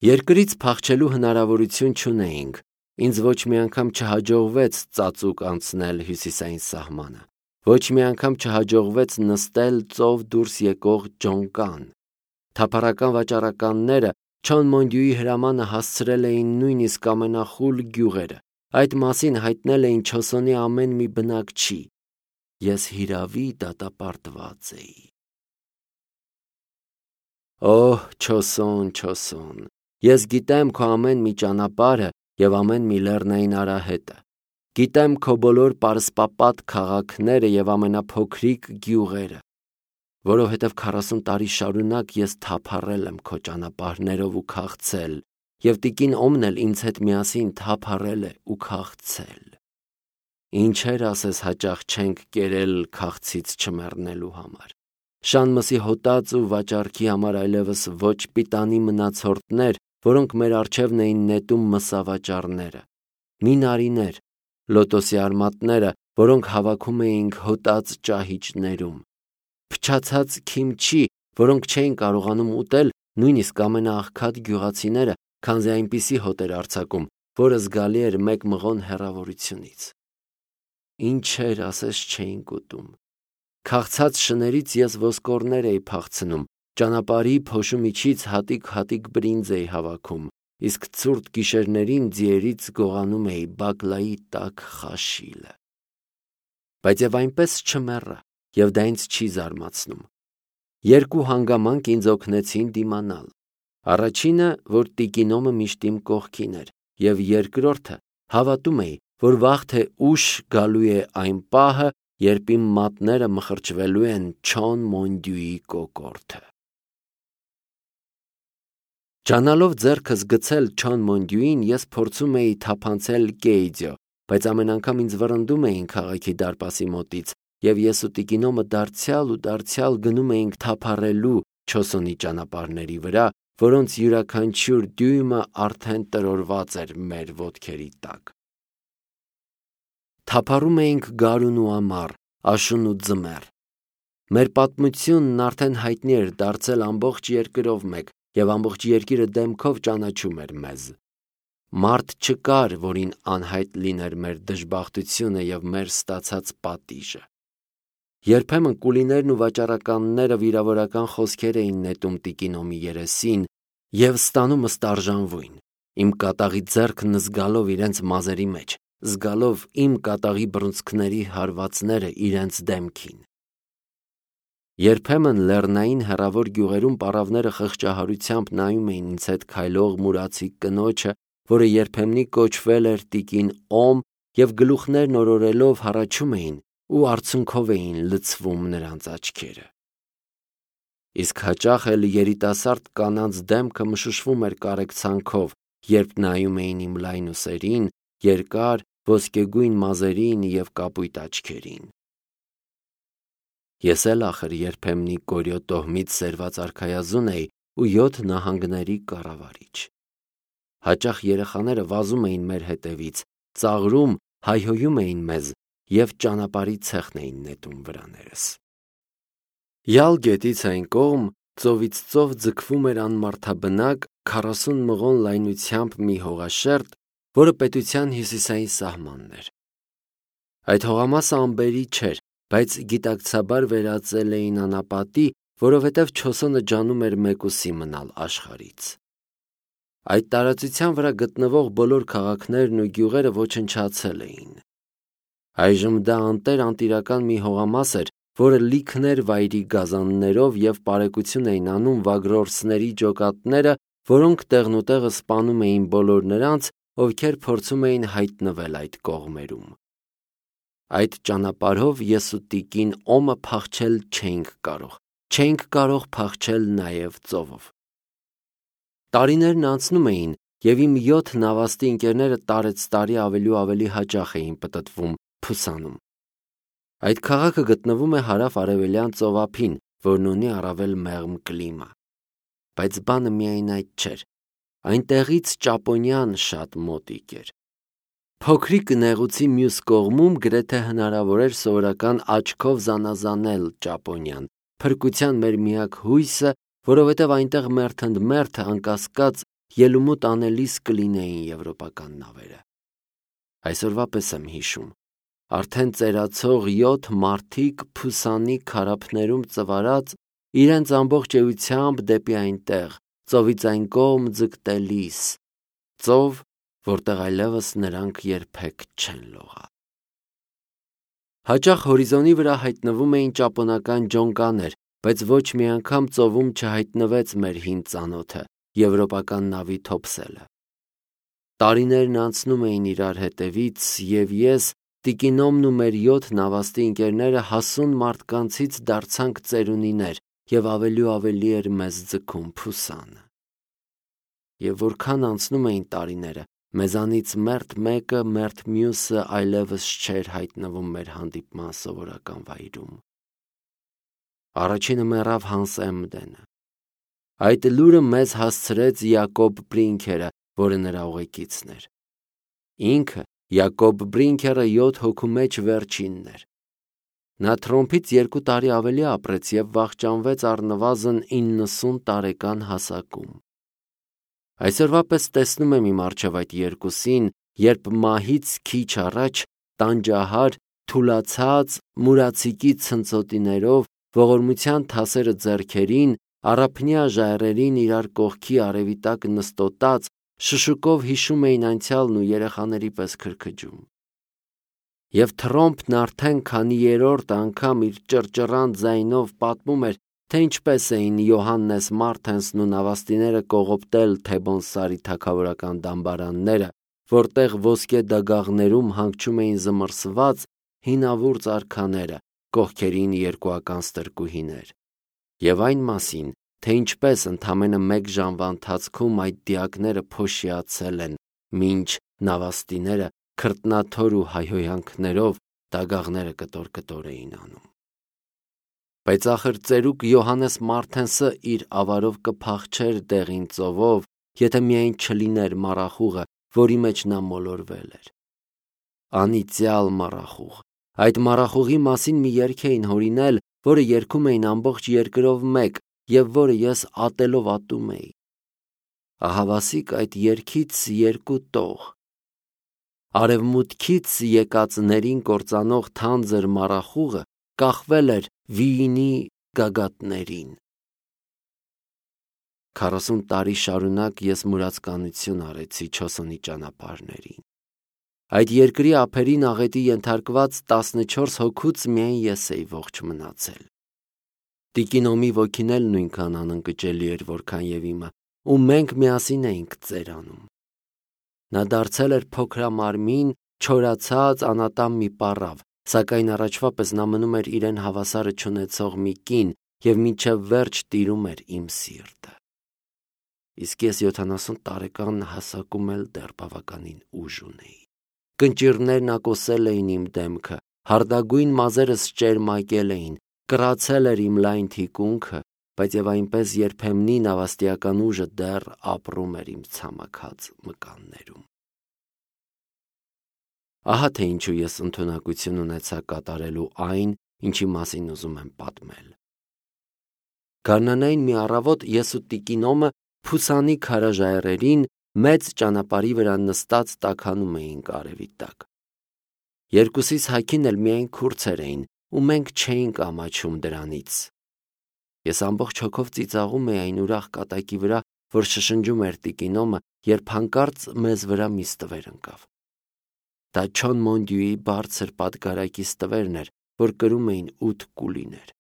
Երկրից փախչելու հնարավորություն չունեինք, ինձ ոչ մի անգամ չհաջողվեց ծածուկ անցնել հյուսիսային սահմանը, ոչ մի անգամ չհաջողվեց նստել ծով դուրս եկող ջոնկան։ Թափառական վաճառականները Չոնմոնդյուի հրամանը հասցրել էին նույնիսկ ամենախուլ գյուղերը, այդ մասին հայտնել էին Չոսոնի ամեն մի բնակչի։ Ես հիրավի դատապարտված էի։ Օհ, Չոսոն, Չոսոն, ես գիտեմ քո ամեն մի ճանապարհը և ամեն մի լեռնային արահետը, գիտեմ քո բոլոր պարսպապատ քաղաքները և ամենափոքրիկ գյուղերը, որովհետև 40 տարի շարունակ ես թափառել եմ քո ճանապարհներով ու քաղցել, և տիկին Օմն էլ ինձ հետ միասին թափառել է ու քաղցել։ Ինչեր ասես հաճախ չենք կերել քաղցից չմեռնելու համար։ Շանմսի հոտած ու վաճառքի համար այլևս ոչ պիտանի մնացորդներ, որոնք մեր առջևն էին նետում մսավաճառները, մինարիներ, լոտոսի արմատները, որոնք հավաքում էինք հոտած ճահիճներում, փչացած քիմչի, որոնք չէին կարողանում ուտել նույնիսկ ամենաաղքատ գյուղացիները, քանզի այնպիսի հոտ էր արձակում, որը զգալի էր մեկ մղոն հեռավորությունից։ Ինչեր ասես չէինք ուտում։ Քաղցած շներից ես ոսկորներ էի փախցնում, ճանապարհի փոշու միջից հատիկ-հատիկ բրինձ էի հավաքում, իսկ ցուրտ գիշերներին ձիերից գողանում էի բակլայի տաք խաշիլը։ Բայց եւ այնպես չմեռա, եւ դա ինձ չի զարմացնում։ Երկու հանգամանք ինձ օգնեցին դիմանալ։ Առաջինը, որ տիկինոմը միշտ իմ կողքին էր, եւ երկրորդը, հավատում էի, որ վաղ թե ուշ գալու է այն պահը, երբ իմ մատները մխրճվելու են Չոնմոնդյուի կոկորդը։ Ջանալով ձեռքս գցել Չոնմոնդյուին, ես փորձում էի թափանցել Կեիձյո, բայց ամեն անգամ ինձ վռնդում էին քաղաքի դարպասի մոտից, եւ ես ու տիկինոմը դարձյալ գնում էինք թափառելու Չոսոնի ճանապարհների վրա, որոնց յուրաքանչյուր դյույմը արդեն տրորված էր մեր ոտքերի տակ։ Թափառում էինք գարուն ու ամառ, աշուն ու ձմեռ։ Մեր պատմությունն արդեն հայտնի էր դարձել ամբողջ երկրով մեկ, եւ ամբողջ երկիրը դեմքով ճանաչում էր մեզ։ Մարդ չկար, որին անհայտ լիներ մեր դժբախտությունը եւ մեր ստացած պատիժը։ Երբեմն կուլիներն ու վաճառականները վիրավորական խոսքեր էին նետում տիկինոմի երեսին եւ ստանում ըստարժանվույն, իմ կատաղի ձեռքն զգալով իրենց մազերի մեջ, զգալով իմ կատաղի բռունցքների հարվածները իրենց դեմքին։ Երբեմն լեռնային հեռավոր գյուղերում պառավները խղճահարությամբ նայում էին ինձ հետ քայլող մուրացի կնոջը, որը երբեմնի կոչվել էր տիկին Օմ, եւ գլուխներն օրորելով հառաչում էին ու արցունքով էին լցվում նրանց աչքերը։ Իսկ հաճախ էլ երիտասարդ կանանց դեմքը մշուշվում էր կարեկցանքով, երբ նայում էին իմ լայն ուսերին, երկար ոսկեգույն մազերին եւ կապույտ աչքերին։ Ես էլ ախր երբեմնի Կորյո տոհմից սերված արքայազուն էի ու 7 նահանգների կառավարիչ։ Հաճախ երեխաները վազում էին մեր հետևից, ծաղրում, հայհոյում էին մեզ եւ ճանապարհի ցեխն էին նետում վրաներս։ Յալ գետից այն կողմ ծովից ծով ձգվում էր անմարդաբնակ 40 մղոն լայնությամբ մի հողաշերտ, որը պետության հյուսիսային սահմանն էր։ Այդ հողամասը ամբերի չէր, բայց գիտակցաբար վերածել էին անապատի, որովհետև Չոսոնը ջանում էր մեկուսի մնալ աշխարհից։ Այդ տարածության վրա գտնվող բոլոր քաղաքներն ու գյուղերը ոչնչացել էին։ Այժմ դա անտեր անտիրական մի հողամաս էր, որը լիքն էր վայրի գազաններով եւ պարեկություն էին անում վագրորսների ջոկատները, որոնք տեղնուտեղը սպանում էին բոլոր նրանց, ովքեր փորձում էին հայտնվել այդ կողմերում։ Այդ ճանապարհով ես ու տիկին Օմը փախչել չէինք կարող փախչել նաև ծովով։ Տարիներն անցնում էին, եւ իմ 7 նավաստի ընկերները տարեցտարի ավելի ու ավելի հաճախ էին պտտվում Փուսանում։ Այդ քաղաքը գտնվում է հարավ-արևելյան ծովափին, որն ունի առավել մեղմ կլիմա։ Բայց բանը միայն այդ չէր։ Այնտեղից Ճապոնիան շատ մոտիկ էր։ Փոքրիկ նեղուցի մյուս կողմում գրեթե հնարավոր էր սովորական աչքով զանազանել Ճապոնիան, փրկության մեր միակ հույսը, որովհետև այնտեղ մերթ ընդ մերթ անկասկած ելումուտ անելիս կլինեին եվրոպական նավերը։ Այսօրվա պես եմ հիշում, արդեն ծերացող 7 մարդիկ Փուսանի քարափներում ծվարած իրենց ամբողջ էությամբ դեպի այնտեղ, ծովից այն կողմ ձգտելիս, ծով, որտեղ այլևս նրանք երբեք չեն լողա։ Հաճախ հորիզոնի վրա հայտնվում էին ճապոնական ջոնկաներ, բայց ոչ մի անգամ ծովում չհայտնվեց մեր հին ծանոթը, եվրոպական նավի թոփսելը։ Տարիներն անցնում էին իրար հետևից, եւ ես, տիկինոմն ու մեր 7 նավաստի ընկերները հասուն մարդկանցից դարձանք ծերունիներ, եւ ավելի ու ավելի էր մեզ ձգում Փուսանը։ Եվ որքան անցնում էին տարիները, մեզանից մերթ մեկը, մերթ մյուսը այլևս չէր հայտնվում մեր հանդիպման սովորական վայրում։ Առաջինը մեռավ Հանս Էմդենը։ Այդ լուրը մեզ հասցրեց Յակոբ Բրինքերը, որը նրա ուղեկիցն էր։ Ինքը, Յակոբ Բրինքերը 7 հոգու մեջ վերջինն էր։ Նա Թրոմփից 2 տարի ավելի ապրեց եւ վախճանվեց առնվազն 90 տարեկան հասակում։ Այսօրվա պես տեսնում եմ իմ առջև այդ երկուսին, երբ մահից քիչ առաջ տանջահար, թուլացած, մուրացիկի ցնցոտիներով, ողորմության թասերը ձեռքերին, առափնյա ժայռերին իրար կողքի արևի տակ նստոտած, շշուկով հիշում էին անցյալն ու երեխաների պես քրքջում։ Եվ Թրոմփն արդեն քանի երրորդ անգամ իր ճռճռան ձայնով պատմում էր, թե ինչպես էին Յոհաննես Մարտենսն ու նավաստիները կողոպտել Թեբոն Սարի թագավորական դամբարանները, որտեղ ոսկե դագաղներում հանգչում էին զմռսված հինավուրց արքաները, կողքերին երկուական ստրկուհիներ, եւ այն մասին, թե ինչպես ընդամենը 1 ժամվա ընթացքում այդ դիակները փոշիացել են, մինչ նավաստիները քրտնաթոր ու հայհոյանքներով դագաղները կտոր էին անում։ Բայց ախր ծերուկ Յոհաննես Մարտենսը իր ավարով կփախչեր դեղին ծովով, եթե միայն չլիներ մառախուղը, որի մեջ նա մոլորվել էր։ Անիծյալ մառախուղ։ Այդ մառախուղի մասին մի երգ էին հորինել, որը երգում էին ամբողջ երկրով մեկ, եւ որը ես ատելով ատում էի։ Ահավասիկ այդ երգից 2 տող։ Արևմուտքից եկածներին կործանող թանձր մառախուղը կախվել էր վիինի գագաթներին։ 40 տարի շարունակ ես մուրացկանություն արեցի Չոսոնի ճանապարհներին։ Այդ երկրի ափերին աղետի ենթարկված 14 հոգուց միայն ես էի ողջ մնացել։ Տիկինոմի ոգին էլ նույնքան անընկճելի էր, որքան եւ իմը, ու մենք միասին էինք ծերանում։ Նա դարձել էր փոքրամարմին, չորացած, անատամ մի պառավ, սակայն առաջվա պես նա մնում էր իրեն հավասարը չունեցող մի կին եւ մինչեւ վերջ տիրում էր իմ սիրտը։ Իսկ ես 70 տարեկան հասակում էլ դեռ բավականին ուժ ունեի։ Կնճիռներն ակոսել էին իմ դեմքը, հարդագույն մազերս ճերմակել էին, կռացել էր իմ լայն թիկունքը, բայց եւ այնպես երբեմնի նավաստիական ուժը դեռ ապրում էր իմ ցամաքած մկաններում։ Ահա թե ինչու ես ընդունակություն ունեցա կատարելու այն, ինչի մասին ուզում եմ պատմել։ Գարնանային մի առավոտ ես ու տիկինոմը Փուսանի քարաժայռերին մեծ ճանապարհի վրա նստած տաքանում էինք արևի տակ։ Երկուսիս հագին էլ միայն քուրծեր էին, ու մենք չէինք ամաչում դրանից։ Ես ամբողջ հոգով ծիծաղում էի այն ուրախ կատակի վրա, որ շշնջում էր տիկինոմը, երբ հանկարծ մեզ վրա մի ստվեր ընկավ։ Դա Չոն Մոնդյուի բարձր պատգարակի ստվերն էր, որ կրում էին 8 կուլիներ։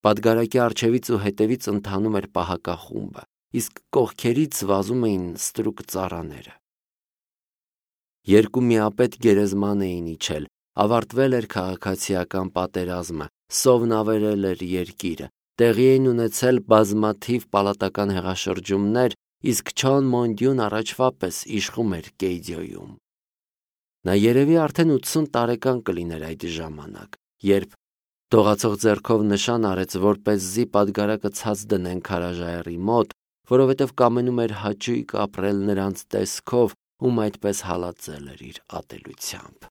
Պատգարակի առջևից ու հետևից ընթանում էր պահակախումբը, իսկ կողքերից վազում էին ստրուկ ծառաները։ 2 միապետ գերեզման էին իջել, ավարտվել էր քաղաքացիական պատերազմը, սովն ավերել էր երկիրը, տեղի էին ունեցել բազմաթիվ պալատական հեղաշրջումներ, իսկ Չոն Մոնդյուն առաջվա պես իշխում էր Կեյդյոյում։ Նա երևի արդեն 80 տարեկան կլիներ այդ ժամանակ, երբ դողացող ձեռքով նշան արեց, որպեսզի պատգարակը ցած դնեն քարաժայռի մոտ, որովհետև կամենում էր հաճույք ապրել նրանց տեսքով, ում այդպես հալածել էր իր ատելությամբ։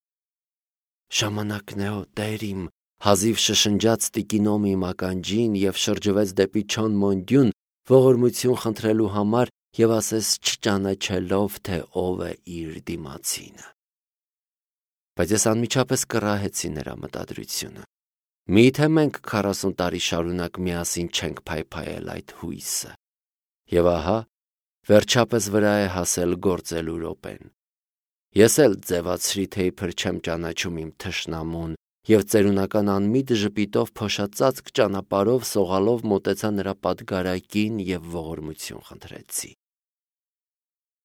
Ժամանակն է, Տեր իմ, հազիվ շշնջաց տիկինոմի իմ ականջին եւ շրջվեց դեպի Չոն Մոնդյուն, ողորմություն խնդրելու համար, եւ ասես չճանաչելով, թե ով է իր դիմացինը։ Բայց ես անմիջապես կռահեցի նրա մտադրությունը։ Միթե մենք 40 տարի շարունակ միասին չենք փայփայել այդ հույսը։ Եվ ահա, վերջապես վրա է հասել գործելու րոպեն։ Ես էլ ձևացրի, թե իբր չեմ ճանաչում իմ թշնամուն, եւ ծերունական անմիտ ժպիտով փոշածածկ ճանապարհով սողալով մոտեցա նրա պատգարակին եւ ողորմություն խնդրեցի։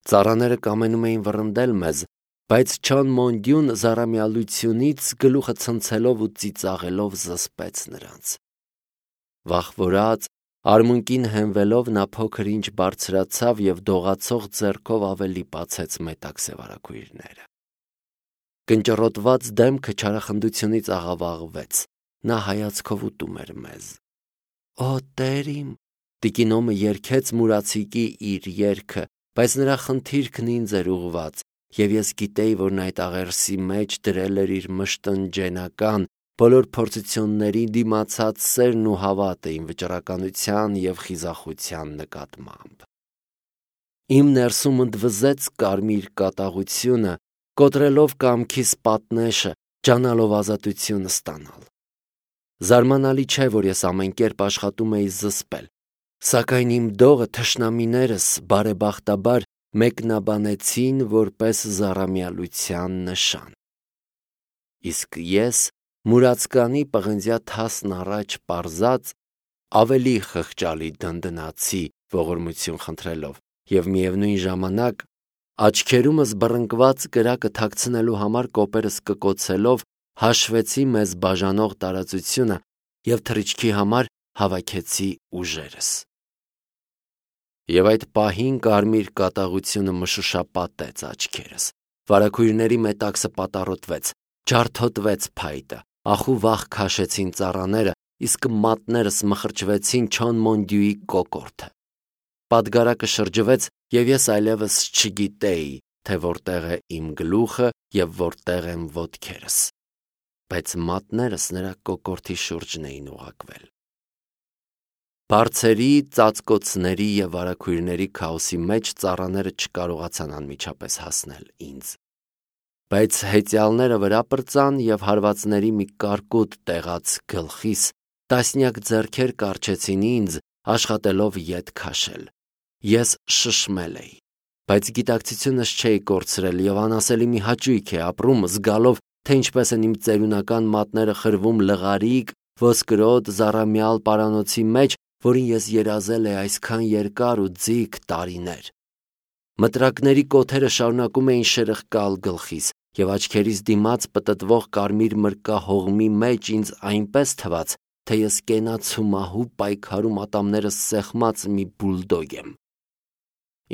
Ծառաները կամենում էին վռնդել մեզ, բայց Չան Մոնդյուն զարամյալությունից գլուխը ցնցելով ու ծիծաղելով զսպեց նրանց։ Վախվորած, արմունկին հենվելով նա փոքր ինչ բարձրացավ եւ դողացող ձեռքով ավելի բացեց մետակ սևարակույրները։ Կնճռոտված դեմքը չարախնդությունից աղավաղվեց, նա հայացքով ուտում էր մեզ։ Օ Տեր իմ, տիկինոմը երգեց մուրացիկի իր երգը, բայց նրա խնդիրքն ինձ էր ուղված, եւ ես գիտեի, որ նա այդ աղերսի մեջ դրել էր իր մշտնջենական բոլոր փորձությունների դիմացած սերն ու հավատը իմ վճռականության եւ խիզախության նկատմամբ։ Իմ ներսում ընդվզեց կարմիր կատաղությունը, կոտրելով կամքիս պատնեշը, ջանալով ազատություն ստանալ։ Զարմանալի չէ, որ ես ամեն կերպ աշխատում էի զսպել, սակայն իմ դողը թշնամիներս բարեբախտաբար մեկնաբանեցին որպես զառամյալության նշան։ Իսկ ես մուրացկանի պղնձյա թասն առաջ պարզած ավելի խղճալի դնդնացի ողորմություն խնդրելով եւ միևնույն ժամանակ աչքերումս բռնկված կրակը թաքցնելու համար կոպերս կկոցելով հաշվեցի մեզ բաժանող տարածությունը եւ թռիչքի համար հավաքեցի ուժերս։ Եվ այդ պահին կարմիր կատաղությունը մշուշապատեց աչքերս, վարագույրների մետաքսը պատառոտվեց, ջարդոտվեց փայտը, ախու վախ քաշեցին ծառաները, իսկ մատներս մխրճվեցին Չան Մոնդյուի կոկորդը։ Պատգարակը շրջվեց, եւ ես այլևս չգիտեի, թե որտեղ է իմ գլուխը եւ որտեղ են ոտքերս, բայց մատներս նրա կոկորդի շուրջն էին ուղղակվել։ Բարձերի, ծածկոցների եւ վարագույրների քաոսի մեջ ծառաները չկարողացան անմիջապես հասնել ինձ։ Բայց հեծյալները վրա պրծան եւ հարվածների մի կարկուտ տեղած գլխիս տասնյակ ձեռքեր կառչեցին ինձ, աշխատելով ետ քաշել։ Ես շշմել էի, բայց գիտակցությունս չէի կորցրել եւ անասելի մի հաճույք է ապրում զգալով, թե ինչպես են իմ ծերունական մատները խրվում լղարիկ, ոսկրոտ, զառամյալ պարանոցի մեջ, որին ես երազել էի այսքան երկար ու ձիգ տարիներ։ Մտրակների կոթերը շարունակում էին շրխկալ գլխիս եւ աչքերիս դիմաց պտտվող կարմիր մրկա հողմի մեջ ինձ այնպես թվաց, թե ես կենացու մահու պայքարում ատամներս սեղմած մի բուլդոգ եմ։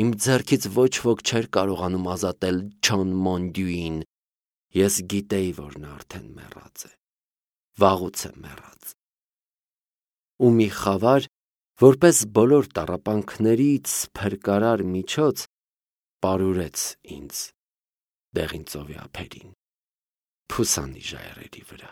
Իմ ձեռքից ոչ ոք չէր կարողանում ազատել Չան Մոնդյուին։ Ես գիտեի, որ նա արդեն մեռած է, վաղուց է մեռած։ Ու մի խավար, որպես բոլոր տառապանքներից փրկարար միջոց, պարուրեց ինձ դեղին ծովի ափերին, փուսանի ժայռերի վրա։